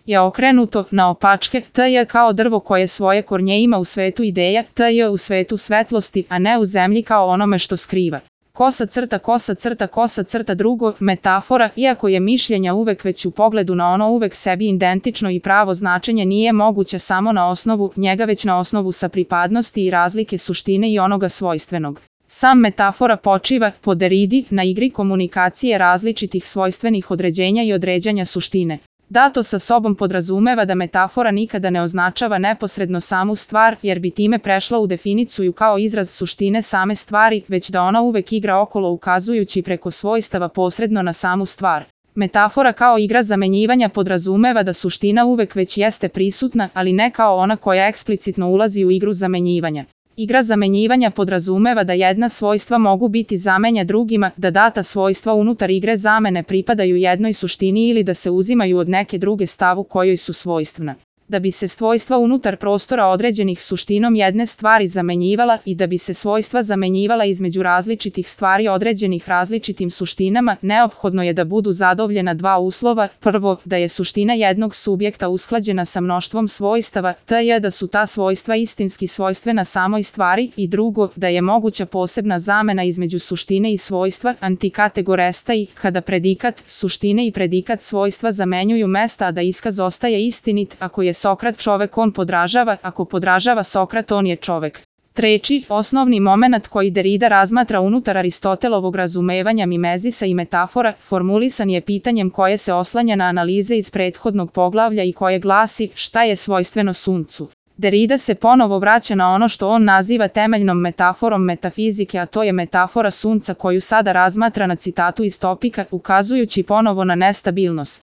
je okrenuto naopačke, t je kao drvo koje svoje kornje ima u svetu ideja, t je u svetu svetlosti, a ne u zemlji kao onome što skriva. Kosa crta, kosa crta, kosa crta. Drugo, metafora, iako je mišljenja uvek već u pogledu na ono uvek sebi identično i pravo značenje, nije moguće samo na osnovu njega, već na osnovu sapripadnosti i razlike suštine i onoga svojstvenog. Sam metafora počiva, po Deridi, na igri komunikacije različitih svojstvenih određenja i određanja suštine. Dato sa sobom podrazumeva da metafora nikada ne označava neposredno samu stvar, jer bi time prešla u definiciju kao izraz suštine same stvari, već da ona uvek igra okolo ukazujući preko svojstava posredno na samu stvar. Metafora kao igra zamenjivanja podrazumeva da suština uvek već jeste prisutna, ali ne kao ona koja eksplicitno ulazi u igru zamenjivanja. Igra zamenjivanja podrazumeva da jedna svojstva mogu biti zamenja drugima, da data svojstva unutar igre zamene pripadaju jednoj suštini ili da se uzimaju od neke druge stavu kojoj su svojstvena. Da bi se svojstva unutar prostora određenih suštinom jedne stvari zamenjivala i da bi se svojstva zamenjivala između različitih stvari određenih različitim suštinama, neophodno je da budu zadovoljena dva uslova. Prvo, da je suština jednog subjekta usklađena sa mnoštvom svojstava, t je da su ta svojstva istinski svojstvena samoj stvari, i drugo, da je moguća posebna zamena između suštine i svojstva, antikategoresta, kada predikat suštine i predikat svojstva zamenjuju mesta, a da iskaz ostaje istinit. Ako je Sokrat čovek, on podražava, ako podražava Sokrat, on je čovek. Treći, osnovni momenat koji Derida razmatra unutar Aristotelovog razumevanja mimezisa i metafora, formulisan je pitanjem koje se oslanja na analize iz prethodnog poglavlja i koje glasi: šta je svojstveno suncu? Derida se ponovo vraća na ono što on naziva temeljnom metaforom metafizike, a to je metafora sunca koju sada razmatra na citatu iz Topika, ukazujući ponovo na nestabilnost.